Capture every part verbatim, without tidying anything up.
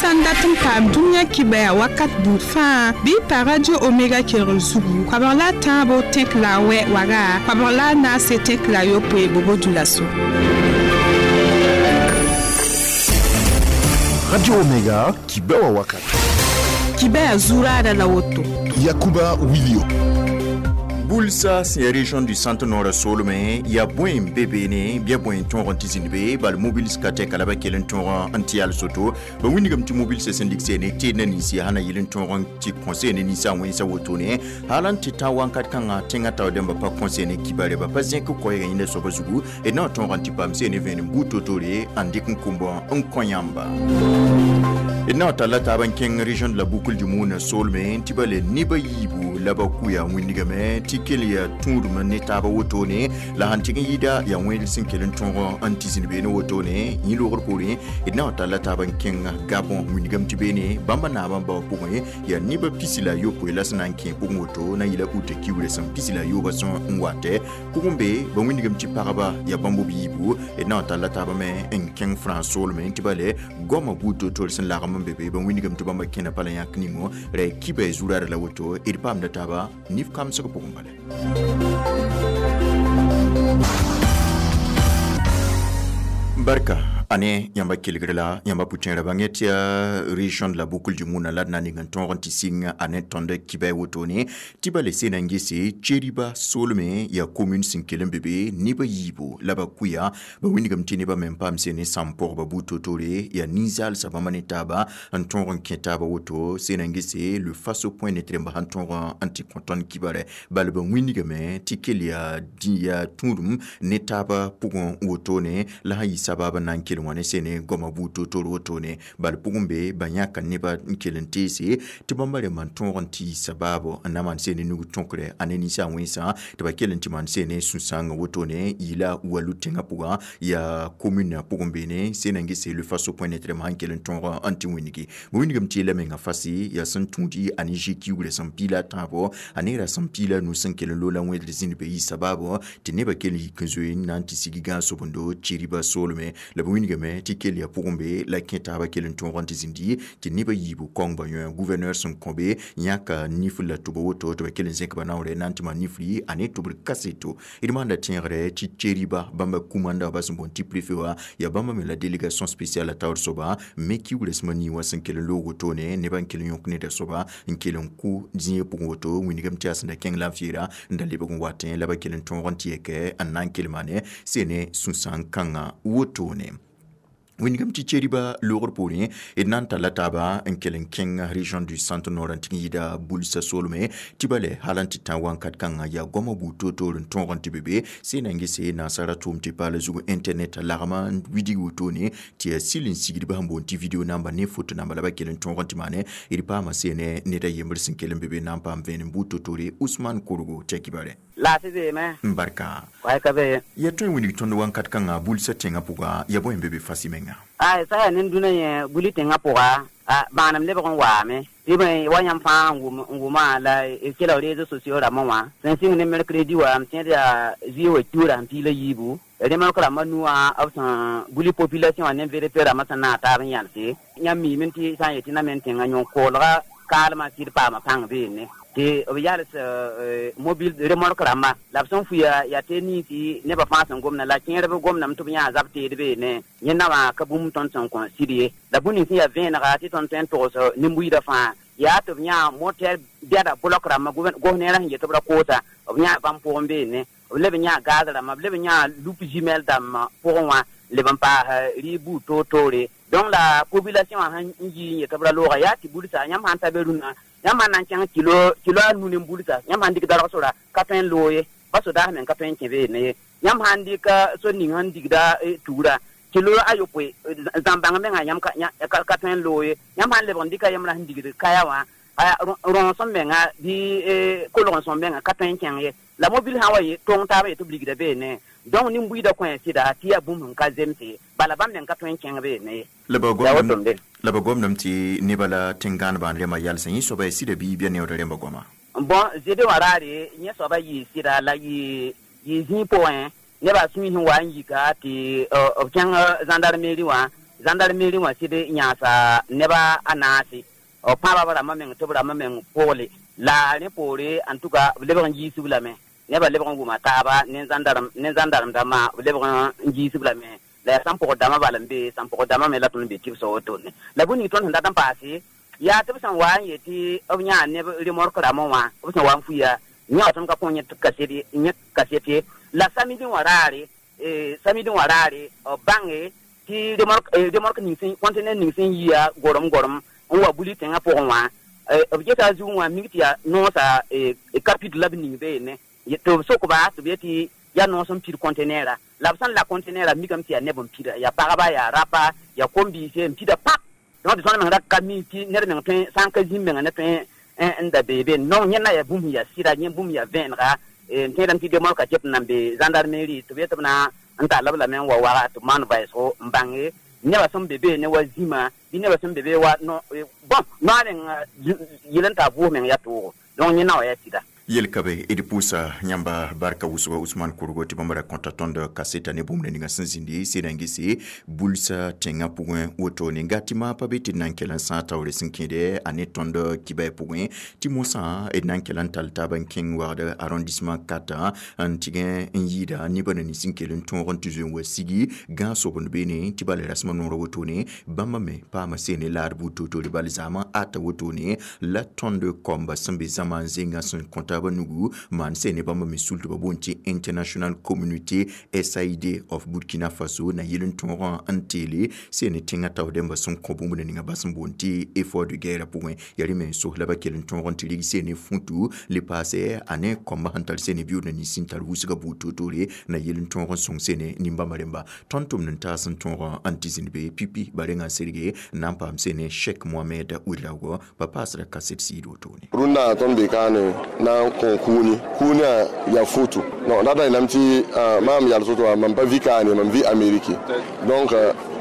Sãn dat n paam dũniyã kibaya wakat buud fãa bɩ pa Radio Omega kelgr zugu koabg la a tãabo tẽk la a wɛ waga koabg la a naase tẽk la a yopoe Bobo-Dioulasso. Radio Omega kibewa wakat kibaya zuraada la woto Yakuba Wilio Bulsa c'est région du centre nord Solome ya boin bébé ne bien boin ton rentizine be bal mobile skate kalaba kelen ton anti al soto ba winigam ti mobile se syndic ne te na nisi hana yelen ton ti conseil ne nisa won sa woto ne halan ti tawan kat kan tinga taw demba pa conseil ne kibare ba pasien ko koy ina so bazugu e na ton ranti pam se ne ven buto tore andik kumbo on konyamba e na tala taban ken région de la boucle du Moun Solome tibale niba yibu laba kuya winigame ti kelia tũudum ne taaba wotone la sãn tɩg n yɩɩda yaa wẽed sẽn kell n tõog n tɩ zĩnd beene wotone yẽ loogr poorẽ d na n talla taab n kẽng Gabon wĩndgame tɩ beene bãmba naabã n bao pʋgẽ yaa nebã pisi la a yopoe la sẽn na n kẽ pʋgẽ woto na n yɩla uta kiugrã sẽn pisi la a yoobã sẽn n watɛ pʋgẽ be ba wĩndgame tɩ pagba yaa bãmb b yiibu d na n talla taabã me n kẽng France soolmẽ tɩ bale goamã buud to-tore sẽn lagm n be be ba wĩndgame tɩ bãmba kẽna pa la yãk ningo ra kiba zuraada la woto d paamda taaba nif kamsg pʋgẽ bala. Barka ane yãmba kelgr la yãmba pʋtẽerã bãngẽ tɩ région de la boucle du Moun la d na ning n tõog n tɩ sɩng a ne tõnd kibɛ wotone tɩ ba le sena n gese Tcheriba soolme yaa commune sẽn kell n be be nebã yiibu la ba kuya ba wĩndgame tɩ nebã me n paam sene sãm pʋgba buud to-tore yaa nin-zaalsã bãmba ne taaba n tõog n kẽ taaba woto sena n gese le faso point net rẽmba sãn tõog n tɩ kõ tõnd kibarɛ bala ba wĩndgame tɩ kell yaa yaa tũudum ne taaba pʋgẽ wotone la sã yɩ sabab n na n kell wã ne sene goamã buud to-tore wotone bala pʋgẽ be ba yãka nebã n kell n teese tɩ bãmba rẽmba n tõog n tɩ sabaabo n na maan sene nug tõkre a ne ninsã wẽnsã tɩ ba kell n tɩ maan sene sũ-sãangã wotone yɩla walu tẽngã pʋgã yaa commune pʋgẽ beene sena n gese le faso point net rẽmba sãn kell n tõog n tɩ wĩndgi ba wĩndgame tɩ yeela menga fasi yaa sẽn tũudi a ne zĩ kiugrã sẽn piila a tãabo a ne ra sẽn piila a nu sẽn kell n loola wẽedr zĩnd be yɩ sabaabo tɩ nebã kell n yik n zoe n na n tɩ sigi gãag-sobendo Tcheriba soolme la ba wĩndgame tɩ kell yaa pʋgẽ be la kẽ taaba kell n tõog n tɩ zĩndi tɩ nebã yiibu kaong ba yõ gouverneur sẽn kõ be yãka nif la tʋba woto tɩ ba kell n zẽk ba naoore na n tɩ maan nifri a ne tʋbr kaseto d maanda tẽegre tɩ Tcheriba bãmba kumanda ba sẽn boond tɩ préfet wã yaa bãmba me la délégation spéciale a taoor soaba me kiugrã sẽma nii wã sẽn kell n loog wotone nebã n kell n yõk neda soaba n kell n kʋ zĩigã pʋgẽ woto wĩndgame tɩ yaa sẽn da kẽng la n feera n da lebg n watẽ la ba kell n tõog n tɩ yɛkɛ n na n kell maane sene sũ-sãang kãngã wotone wĩndgame tɩ Tcheriba loogr poorẽ d na n talla taaba n kell n kẽng région du centre nord n tɩg n yɩɩda Bulsa soolme tɩ bale hal n tɩ tã wãnkat kãngã yaa goamã buud to-toor n tõog n tɩ be be sena n gese nansara tʋʋm tɩ paala zug internet lagma n widig wotone tɩ yaa sɩl n sigdbã sẽn boond tɩ video namba ne foto namba la ba kell n tõog n tɩ maane d paama sene ned a yembr sẽn kell n be be na n paam vẽenem buud to-toore Ousmane Korgo tɩ a kibare laafɩ beeme n barka waay ka be ya tõe n wilg tõnd wãnkat kãngã Bulsa tẽngã pʋga ya bõe n be be fasi menga ay sa yaa nin-dũnã yẽ buli tẽngã pʋga bãanem lebg n waame tɩ bõe wa yãmb fãa n wʋma la d kela réseaux sociaux rãmbã wã sẽn sɩng ne mercredi wa m tẽed yaa zuie wa kiuurã sẽn piila yiibu remorque rãmbã nuwã b sẽn buli population wã ne V D P rãmbã sẽn naag taab n yãnse yãmb miime tɩ sã n yetɩ na me n tẽngã yõ-koolga kaalmã sɩd paama pãng beene tɩ b yals mobile remorque rãmbã la b sẽn fuya yaa tɩ ninsi nebã fãa sẽn gomda la kẽerb gomdame tɩ b yãa zab teed beene yẽ naowã ka bũmb tõnd sẽn kõ sɩd ye la bũmb nins sẽn yaa vẽenega tɩ tõnd tõe n togs nin-buiidã fãa yaa tɩ b yãa moter bɛda bloc rãmbã gosneerã sẽn yet b ra koosa b yãa bãmb pʋgẽ beene b leb n yãa gaz rãmbã b leb n yãa loupe jumelle dãmbã pʋgẽ wã leb n paas rɩɩb buud toor-toore donc la population wã sẽn yi n yet b ra looga yaa tɩ bulsa yãmb sãn ta be rũnã yãmb sãn na n kẽng kilo kilo a nu ne bulsa yãmb sãn dɩk darg sora ka tõe n loog ye pa sodaas meng ka tõe n kẽ beene ye yãmb sãn dɩk so ning sẽn digda tugra kilo a yopoe zãm-bãng menga yãmb ka tõe n loog ye yãmb sãn lebg n dɩka yembra sẽn digd kaya wã rõos n menga bɩ kolg n sõm menga ka tõe n kẽng ye la mobile sã n wa yɩ tong taabã yetɩ b ligda beene donc nin-buiidã kõ sɩda tɩ yaa bũmb sẽn ka zemse bala bãmb meng ka tõe n kẽng beene ye la ba gomdame tɩ nebã la tẽn-gãanebã n rẽmba yalsẽ yẽ soaba yaa sɩda bɩ bɩa neoodã rẽmba goama bõn zede wã raare yẽ soaba yɩɩ sɩda la yɩ zĩig pʋgẽ nebã sũy sẽn wa n yika tɩ b kẽng gendarmerie wã Gendarmerie wã sɩd yãasa neba a naase b pãaba b rãmbã meng tɩ b rãmbã meng pogle la rẽ poore en tout cas b lebg n yiisb lame nebã lebg n wʋma taaba ne gendarme ne gendarme dãmbã b lebg n yiisb lame la yaa sãn-pʋgd dãmbã bal n be sãn-pʋgd dãmbã me la tõnd be tɩbsã wotone la bũmb ning tõnd sẽn dat n paase yaa tɩ b sẽn wa n yet tɩ b yãa neb remorque rãmbã wã b sẽn wa n fuya yã tõnd ka kõ yẽ kaset yẽ kaset ye la samedi wã raare samedi wã raare b bãnge tɩ remorque remorque ning sẽn conteneur ning sẽn yia gorem gorem n wa buli tẽngã pʋgẽ wã b geta a zugẽ wã mik tɩ yaa noosa kapit la b ning beene tɩ b sokba tɩ b yetɩ yaa noos n pid conteneur la b sẽn la conteneur mikame tɩ yaa neb n pida yaa pagba yaa rapa yaa kom-biise n pida pap donc tɩ tõnd meng ra ka mi tɩ ned meng tõe sã n ka zĩm menga ne tõe n da bee be non yẽnda yaa bũmb yaa sɩda yẽ bũmb yaa vẽenega n tẽedame tɩ remorque ket n nan be gendarmerie tɩ b yet b na n tall b lame n wa waga tɩ b maan vɛɛsgo n bãnge nebã sẽn be beene wa zĩma bɩ nebã sẽn be be wa bon noa meng yel n taa vʋʋs meng yaa toogo donc yẽ na wa yaa sɩda Yel kabe d pʋʋsa yãmba barka wʋsga Usman Kurgo tɩ bãmb ra kõta tõnd kaseta ne bũmb ninga sẽn zĩndi sɩd n gese bulsa tẽngã pʋgẽ wotone nga tɩ maa pa be tɩ d na n kell n sãag taoore sẽn kẽede a ne tõnd kibɛ pʋgẽ tɩ mosã d na n kell n tall taab n kẽng wagd arrondissement quatre n tɩgẽ n yɩɩda nebã na nins n kell n tõog n tɩ zoe n wa sigi gãag sobend beene tɩ bala rasmã noorã wotone bãmba me paama seene laad buud toor-toore bal zaamã ata wotone la tõnd kɔmba sẽn be zãma n zẽngã sẽn kõ taaba nugu maan sẽn ne bãmba me sul tɩ ba boond tɩ International Community S I D of Burkina Faso na yel n tõogã n teele sẽn ne tẽngã tao dẽmba sẽn kõ bũmb ninga bas n boond tɩ effort de guerre pʋgẽ yaa rẽ me n sos la ba kell n tõog n tɩ rig sẽn ne futu le paase a ne kõmba sẽn tar sẽn ne biʋʋd na nins sẽn tar wʋsgã buud toor-toore na yel n tõog n sõng sẽn ne nin-bãmba rẽmba tõnd tʋmd n taas n tõog n tɩ zĩnd be pipi ba rengã n serge n na n paam sẽn ne Cheikh Mohamed Ouedraogo ba paasra kaset sɩɩd wotone. Rũndã tõnd be kaane na n kõ kũuni kũunã yaa futu non rata yeelame tɩ maam yals woto wã mam pa vi kaane mam vi Ameriki donc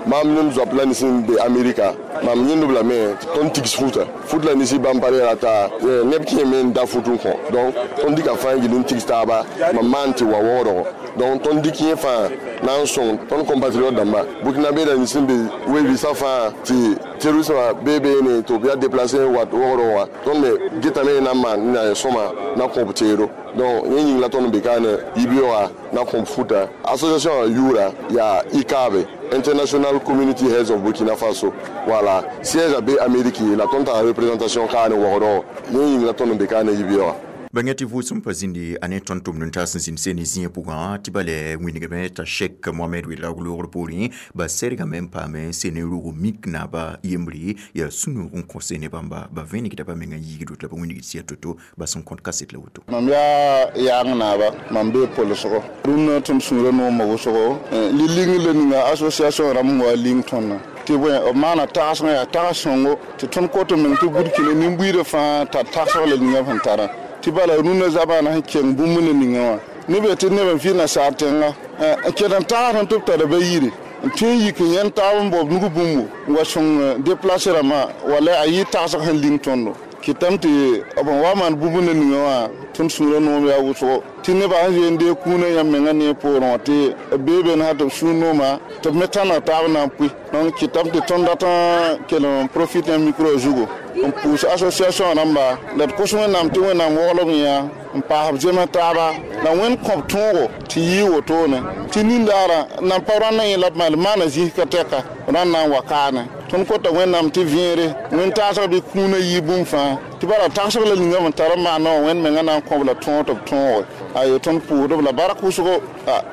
maam nem zoap la nins n be Amerika mam yẽndb lame tɩ tõnd tigs futa fut la nisi bãmb pa reera t'a neb kẽeme n da fut n kõ donc tõnd dɩka fãa n gil n tigs taaba mam maan tɩ wa waoodgo donc tõnd dɩk yẽ fãa na n sõng tõnd compatriote dãmba burkina be la nins n be we-biisã fãa tɩ terrorisme bee beene tɩ b yaa déplacé n wat wogdg wã tõnd me getame na n maan na sõma na kõb teedo donc yẽ yĩng la tõnd n be kaane yibeooga na kõb futa association yʋʋra yaa I C A B, International Community Heads of Burkina Faso. Voilà, siège a be Amérique la tõnd tara représentation kaane wogdg yẽ yĩng la tõnd n be kaane yibeooga. Bãnga tɩ vʋʋsem pa zĩndi a ne tõnd tʋmd n taas n zĩnd seen zĩig pʋgã tɩ bala wĩnigame t'a Cheikh Mohamed Ouedraogo loogr poorẽ ba sɛrgame n paame seen n rog mik naaba yembre yaa sũ-noog n kõ seen bãmba ba vẽnegda ba menga yiigd woto la ba wĩnigd sɩa to-to ba sẽn kõt kaset la woto. Mam yaa yaang naaba mam bee polsgo rũnnã tɩ m sũurã noomã wʋsgo li-ling la ninga association rãmb n wa ling tõndã tɩ bõe b maana tagsgã yaa tags sõngo tɩ tõnd kot n meng tɩ Burkina nin-buiidã fãa tar tagsg la ninga sẽn tara tɩ bala rũnnã zabaana sẽn keng bũmb ne ninga wã neb tɩ neb n vɩ nasaar tẽnga n ket n tags tɩ b tara ba yiri n tõe n yik n yẽnd taab n baoob nug bũmbo n wa sõng déplacé rãmbã wala a yɩ tagsg sẽn ling tõndo kɩtame tɩ b n wa maan bũmb ne ninga wã tõnd sũurã noom yaa wʋsgo tɩ nebã sẽn zoe n deeg kũunã yãmb mengã ne poorẽ wã tɩ b bee been sã tɩ b sũur nooma tɩ b me tãneg taab na n pʋɩ donc kɩtame tɩ tõnd dat n kell n profite yã micro zugu n pʋʋs association rãmba la d kos Wẽnnaam tɩ Wẽnnaam woglb yã n paas b zema taaba la Wẽnd kõb tõogo tɩ yɩ wotone tɩ nindaarã nan pa rãndã yẽ la b maal maana zĩis ka tɛka rãnd na n wa kaane tõnd kota Wẽnnaam tɩ vẽere wẽn taasg bɩ kũunã yɩ bũmb fãa tɩ bala tagsg la ninga n tar n maana wã Wẽnd mengã na n kõb la tõog tɩ b tõoge ayo tõnd pʋʋsdb la bark wʋsgo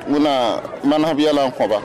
Wẽnna manesb yɛla n kõba.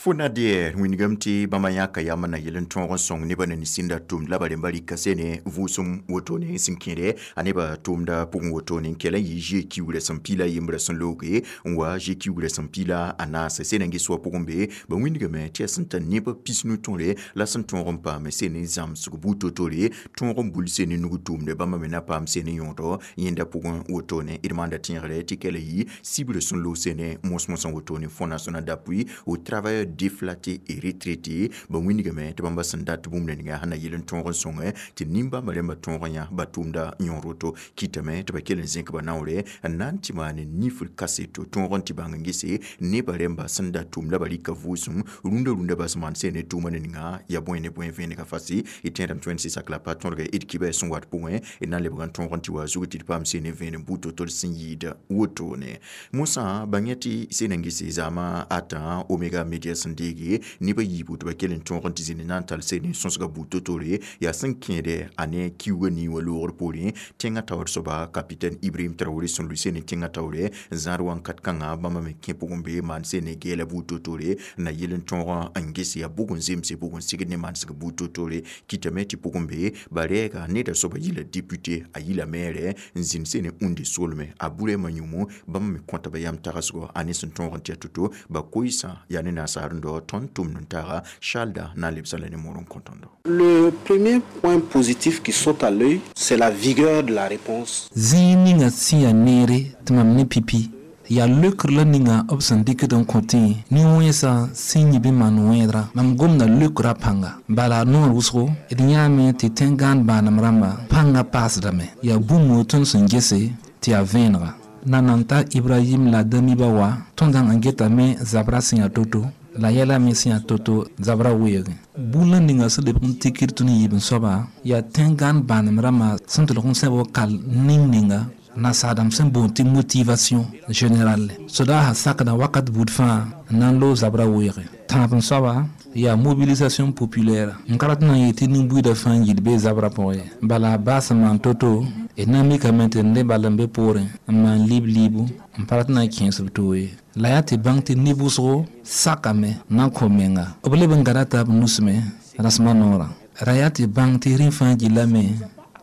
FONADER wĩnigame tɩ bãmba yãka yam na yel n tõog n sõng nebã na nin-sẽnda tʋmd la ba rẽmba rɩka sene vʋʋsem wotone sẽn kẽede a nebã tʋʋmda pʋgẽ wotone n kell n yɩ gie kiugrã sẽn piila yembrã sẽn looge n wa gie kiugrã sẽn piila a naase sẽn na n ges wã pʋgẽ be ba wĩnigame tɩ yaa sẽn tar nebã pisnu tõre la sẽn tõog n paam sene zãmsg buud to-tore tõog n bul sene nug tʋʋmde bãmba me na paam sene yõodɔ yẽnda pʋgẽ wotone d maanda tẽegre tɩ kell yɩ sibrã sẽn loog sene mos-mosã wotone Fonds national d'appui aux travailleurs. déflaté et retraité ba wĩnigame tɩ bãmba sẽn dat bũmb ninga sẽn na yɩl n tõog n sõngẽ tɩ nimbãmbã rẽmbã tõog n yã ba tʋʋmda yõor woto kɩtame tɩ ba kell n zẽk ba naoore n na n tɩ maan nifr kaseto tõog n tɩ bãng n gese nebã rẽmba sẽn da tʋʋm la ba rɩka vʋʋsem rũndã rũndã bas maan sẽn ne tʋʋma ne ninga ya bõe ne bõe vẽenega fasi y tẽedame tɩ wẽnd sɩ sak la pa tõdga d kibɛ sẽn wat pʋgẽ d na n lebg n tõog n tɩ wa zug tɩ d paam seen ne vẽenem buud to-to d sẽn yɩɩd wotone mosã bãng yã tɩ seen n gese zaamã ata Omega Media sẽn deege nebã yiibu tɩ ba kell n tõog n tɩ zĩnd na n tall seen n sõsga buud to-tore yaa sẽn kẽede a ne kiuugã nii wã loogr poorẽ tẽngã taoor soaba capitaine Ibrahim Traoré sẽn lʋɩ seen tẽngã taoore zãad wãnkat kãngã bãmba me kẽ pʋgẽ be maan seen ne gɛɛla buud to-tore n na yɩl n tõog n ges yaa bʋg n zemse bʋg n sigd ne manesg buud to-tore kɩtame tɩ pʋgẽ be ba rɛɛga neda soaba yila député a yila maire n zĩnd seen ũnde solme a burɛɛmã yũmu bãmb me kõta ba yam tagsgo a ne sẽn tõog n tɩ to-to ba koɩsã yaa ne nasaar n dao tõnd tʋmd n taaga Charles na n lebsã la ne moor n kõ tõndo. Le premier point positif qui saute à l'œil, c'est la vigueur de la réponse. Zĩig ninga sẽn yaa neere tɩ mam ne pipi yaa leokr la ninga b sẽn dɩkd n kõ tẽ nin-wẽnsã sẽn yɩ bɩ maan wẽedrã mam gomda leokrã pãnga bala noor wʋsgo d yãame tɩ tẽn-gãan bãanem rãmba pãngã paasdame yaa bũmb tõnd sẽn gese tɩ yaa vẽenega na nan ta Ibrahim la Damiba wa tõnd n getame zabra sẽn yaa to-to la yɛla me sẽn yaa to-to zabra weoogẽ bũla ninga sẽn lebg n tikr tõnd yiib n soaba yaa tẽn-gãan bãanem rãmbã sẽn tʋlg n sẽb wa kal ning ninga nasaadame sẽn boond tɩ motivation générale soda sã sakda wakat buud fãa n na n loog zabra weoogẽ tãab n soaba yaa mobilisation populaire n ka rat n na n yet tɩ nin-buiidã fãa n yid bee zabra pʋgẽ ye bala a baas n maan to-to d na n mikame tɩ d bal n be poorẽ n maan liib liibu n pa rat n na n kẽes b toog ye la yaa tɩ bãng tɩ neb wʋsgo sakame n na n kõ menga b leb n gada taab nusme rasmã noorã ra yaa tɩ bãng tɩ rẽ fãa gillame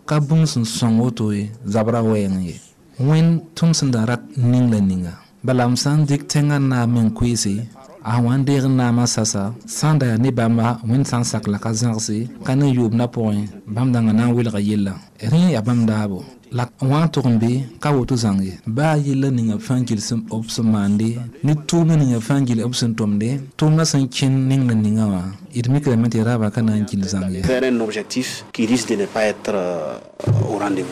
ka bũmb sẽn sõng woto ye zabra wɛɛng ye wẽnd tõnd sẽn da rat ning la ninga bala m sã n dɩk tẽngã naam me n koeese a wã n deeg naamã sasa sã n da yaa ne bãmba wẽnd sã n sak la ka zãgse ka ne yoobdã pʋgẽ bãmb dãnga na n welga yella rẽ yaa bãmb daabo la wã n tʋg n be ka woto zãng ye baa yella ninga fãa gil b sẽn maande ne tʋʋmd ninga fãa gil b sẽn tʋmde tʋʋmdã sẽn kẽnd ning la ninga wã d mikrame tɩ raaba ka na n gil zãng ye. Vers un objectif qui risque de ne pas être euh, au rendez-vous.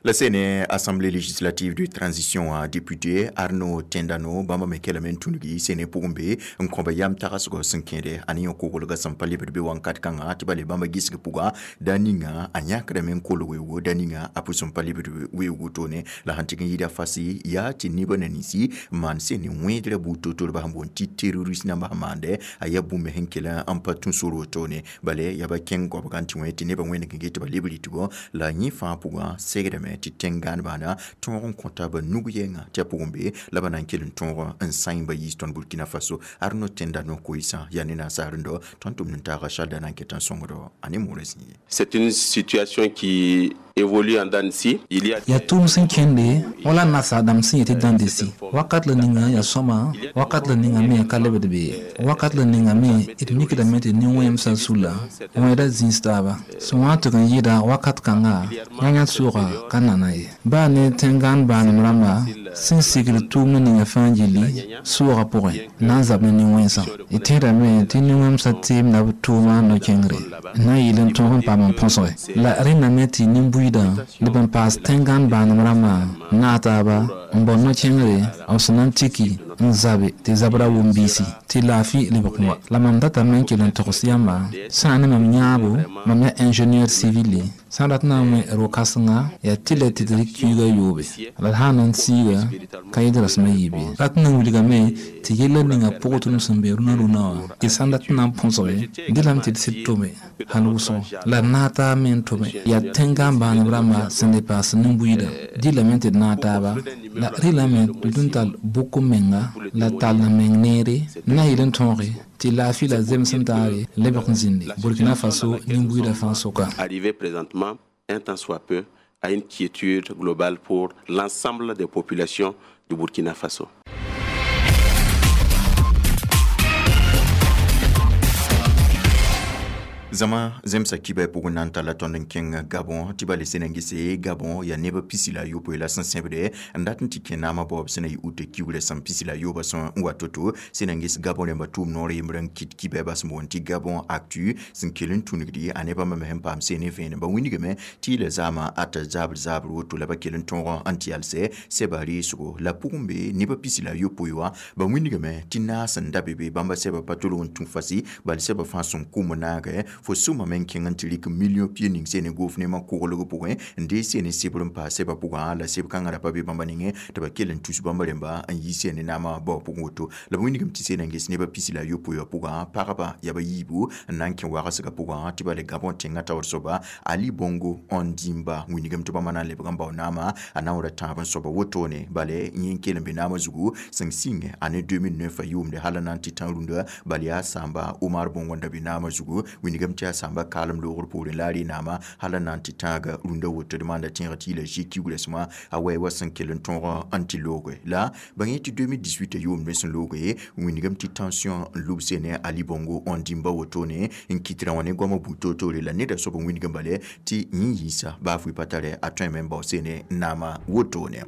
La sene Assemblée législative de transition a député Arnaud Tendano bãmba me kelame n tũnugi sene pʋgẽ be n kõ ba yam tagsgɔ sẽn kẽede a ne yõ kogolgã sẽn pa lebd be wãnkat kãngã tɩ ba le bãmba gisg pʋga da ninga a yãkdame n kolg weoogo da ninga a pʋs n pa lebd weoog wotone la sẽn tɩg n yɩɩda fasi yaa tɩ nebã na ninsi maan sene wẽedrã buud to-to b sẽn boond tɩ terroriste nambã sẽn maande a yaa bũmb sẽn kell n pa tũ sor wotone bale yaa ba kẽng goabgã n tɩ wẽ tɩ nebã wẽneg n get tɩ ba leb rɩtgo la yẽ fãa pʋgã segdame tɩ tẽn-gãan bãana tõog n kõta ba nug yɛnga tɩ a pʋgẽ be la ba na n kell n tõog n sãy ba yiis tõnd Burkina Faso Arnaud Tendano koɩsã yaa ne nasaar n dao tõnd tʋmd n taaga Charles na n ket n sõngdo a ne moorã zĩ ye. C'est une situation qui évolue en dents de scie. Il y a yaa tʋʋm sẽn kẽnde wala nasaadame sẽn yetɩ dãnde sɩ wakat la ninga yaa sõma wakat la ninga me ka lebd be ye wakat la ninga me d mikdame tɩ nin-wẽmsã sula wẽeda zĩis taaba sẽn wa n tɩg n yɩɩda wakat kãnga yã-yã sʋʋga ka nana ye baa ne tẽn-gãan bãanem rãmba sẽn sigd tʋʋmd ninga fãa gilli sʋʋga pʋgẽ na n zab ne nin-wẽnsã d tẽedame tɩ nin-wẽmsã teemda b tʋʋma no-kẽngre n na n yɩl n tõog n paam n põsge la rẽndame tɩ nin-buiidã leb n paas tẽn-gãan bãanem rãmbã n naag taaba n bao no-kẽngre b sẽn na n tiki n zabe tɩ zabra wʋm biisi tɩ laafɩ lebg n wa la mam datame n kell n togs yãmba sã n ne mam yãabo mam yaa ingénieur civil sã n rat na n wẽ ro-kãsenga yaa tɩ la tɩ d rɩk kiuugã yoobe la d sã n na n siiga ka yɩd rasmã yiib ye rat n na n wilgame tɩ yella ninga pʋgẽ tõnd sẽn be rũnã rũnã wã y sã n dat n na n põsge dɩlame tɩ d sɩd tome hal wʋsgo la d naag taab me n tome yaa tẽn-gãan bãanem rãmba sẽn le paas nin-buiidã dɩlame tɩ d naag taaba la rɩlame tɩ d tall bʋk menga la tall n meng neere n na yɩl n tõoge tɩ laafɩ la zemsem taare lebg n zĩnde Burkina Faso nin-buiidã fãa soka. Arrivé présentement, un tant soit peu, à une quiétude globale pour l'ensemble des populations du Burkina Faso. Zama zemsa kibɛ pʋgẽ na n talla tõnd n kẽng Gabon tɩ ba le sẽn n gese Gabon yaa neb pisi la yopoe la sẽn sẽbde n dat n tɩ kẽ naamã baoob sẽn na yɩ ute kiugrã sẽn pisi la yooba sẽn wa to-to. Sẽn na n ges Gabon rẽmba tʋʋm noor yembr n kɩt kibɛ bas n boond tɩ Gabon Actu sẽn kell n tũnugdi a nebã me sẽn paam seen vẽenem. Ba wĩnigame tɩ y la zaamã ata zabr zabr woto la ba kell n tõog n tɩ yalsɛ sɛba reesgo la pʋgẽ be nebã pisi la yopoe wã. Ba wĩnigame tɩ naas n da be be bãmba sɛba pa tolg n tũ fasi bal sɛba fãa sẽn kʋm naagɛ fo sʋma me n kẽng n tɩ rɩk million pia ning sene gof nemã koglg pʋgẽ n dee sene sebr n paas sɛba pʋgã la seb kãngã ra pa be bãmba nengẽ tɩ ba kell n tus bãmba rẽmba n yi sene naamã bao pʋgẽ woto. La ba wĩnigame tɩ sena n ges nebã pisi la yopoe wã pʋgã pagba yaa ba yiibu n na n kẽ wagsgã pʋgã tɩ ba le Gabon tẽngã taoor soaba Ali Bongo Ondimba wĩnigame tɩ bãmba na n lebg n bao naamã a na n ra tãab n soaba wotone bale yẽ n kell n be naamã zugu sẽn sɩng ane deux mille neuf yʋʋmde hal n na n tɩ tã rũndã bal yaa sãamba Omar Bongo n da be naamã zugu wĩnigame tɩ yaa sãamba kaalem loogr poorẽ la a re naamã hal n na n tɩ tãaga rũndã woto d maanda tẽeg tɩ yɩla zĩ kiugrã a wɛ wa sẽn kell n tõog n tɩ looge la ba yẽ tɩ deux mille dix-huit yʋʋmd sẽn looge wĩnigame tɩ tension n lubse ne Ali Bongo Ondimba wotone n kɩt rã wã ne goamã buud toor-toore la neda soab n wĩnigame bale tɩ yẽ yiisa baa fʋɩ pa tare a tõeme n bao sene naamã wotone.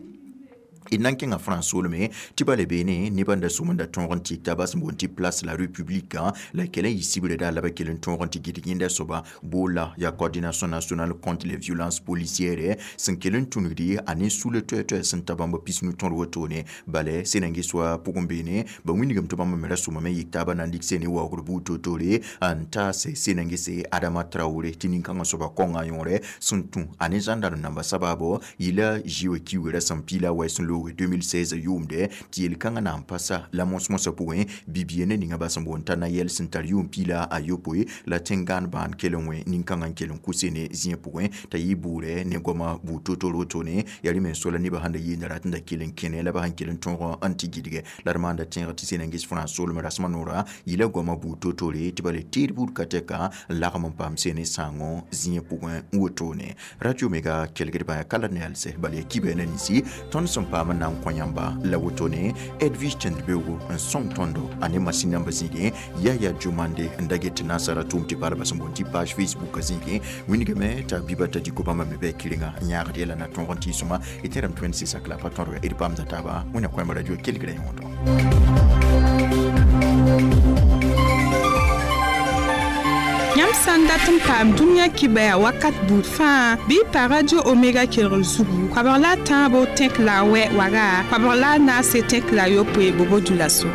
D na n kẽngã France solme tɩ ba le beene nebã n da sʋm n da tõog n tɩk t'a bas n boond tɩ Place la République la kell n yɩ sibrã daa la ba kell n tõog n tɩ gɩdg yẽnda soaba boola yaa Coordination nationale contre les violences policières sẽn kell n tũnugdi a ne sula toɛ-toɛ sẽn ta bãmba pisnu tõd wotone bala sẽn na n ges wa pʋgẽ beene ba wĩnigame tɩ bãmba me ra sʋmame yik taabã na n dɩk sene waoogr buud toor-toore n taase sẽn na n gese Adama Traoré tɩ nin-kãngã soaba kõnga yõore sẽn tũ a ne gendarme namba sabaabo yɩla zĩ wa kiugrã sẽn piila wɛ sẽn loog deux mille seize yʋʋmde tɩ yel-kãngã na n pasa la mos-mosã pʋgẽ bi-bia ne ninga bas n boond t'a na yɛl sẽn tar yʋʋm piila a yopoe la tẽn-gãan bãan kell n wẽ nin-kãngã n kell n kʋ sene zĩig pʋgẽ t'a yɩ bʋʋrɛ ne goamã buud to-toor wotone yaa rẽ me n so la nebã sẽn da yeenda rat n da kell n kẽne la ba sẽn kell n tõog n tɩ gɩdgɛ la d maanda tẽeg tɩ sẽn na n ges France soolmẽ rasmã noorã yɩla goamã buud to-toore tɩ ba le teed buud ka tɛka n lagm n paam sene sãango zĩig pʋgẽ wotone. Radio Omega kelgdbã yaa ka la ne yalsɛ bala yaa kibɛ na ninsi tõnd sẽn paam n na n kõ yãmba la wotone Edwige Tẽndbeoogo n sõng tõndo a ne masin namba zĩigẽ Yaya Jomande n da get tɩ naasara tʋʋm tɩ palba sẽn boond tɩ page Facebook zĩigẽ wĩnigame t'a biba t'a dɩko bãmba me bɩ kɩrenga n yãagd yɛla na tõog n tɩ sõma y tẽrame tõe n sɩsak la pa tõdga d paamda taaba wẽna kõema radio kelgrã yõodo. Yãmb sã n dat n paam dũniyã kibɛa wakat buud fãa bɩ pa Radio Omega kelgr zugu koabg la a tãabo tẽk la a wɛ waga koabg la a naase tẽk la a yopoe bobo dulaso.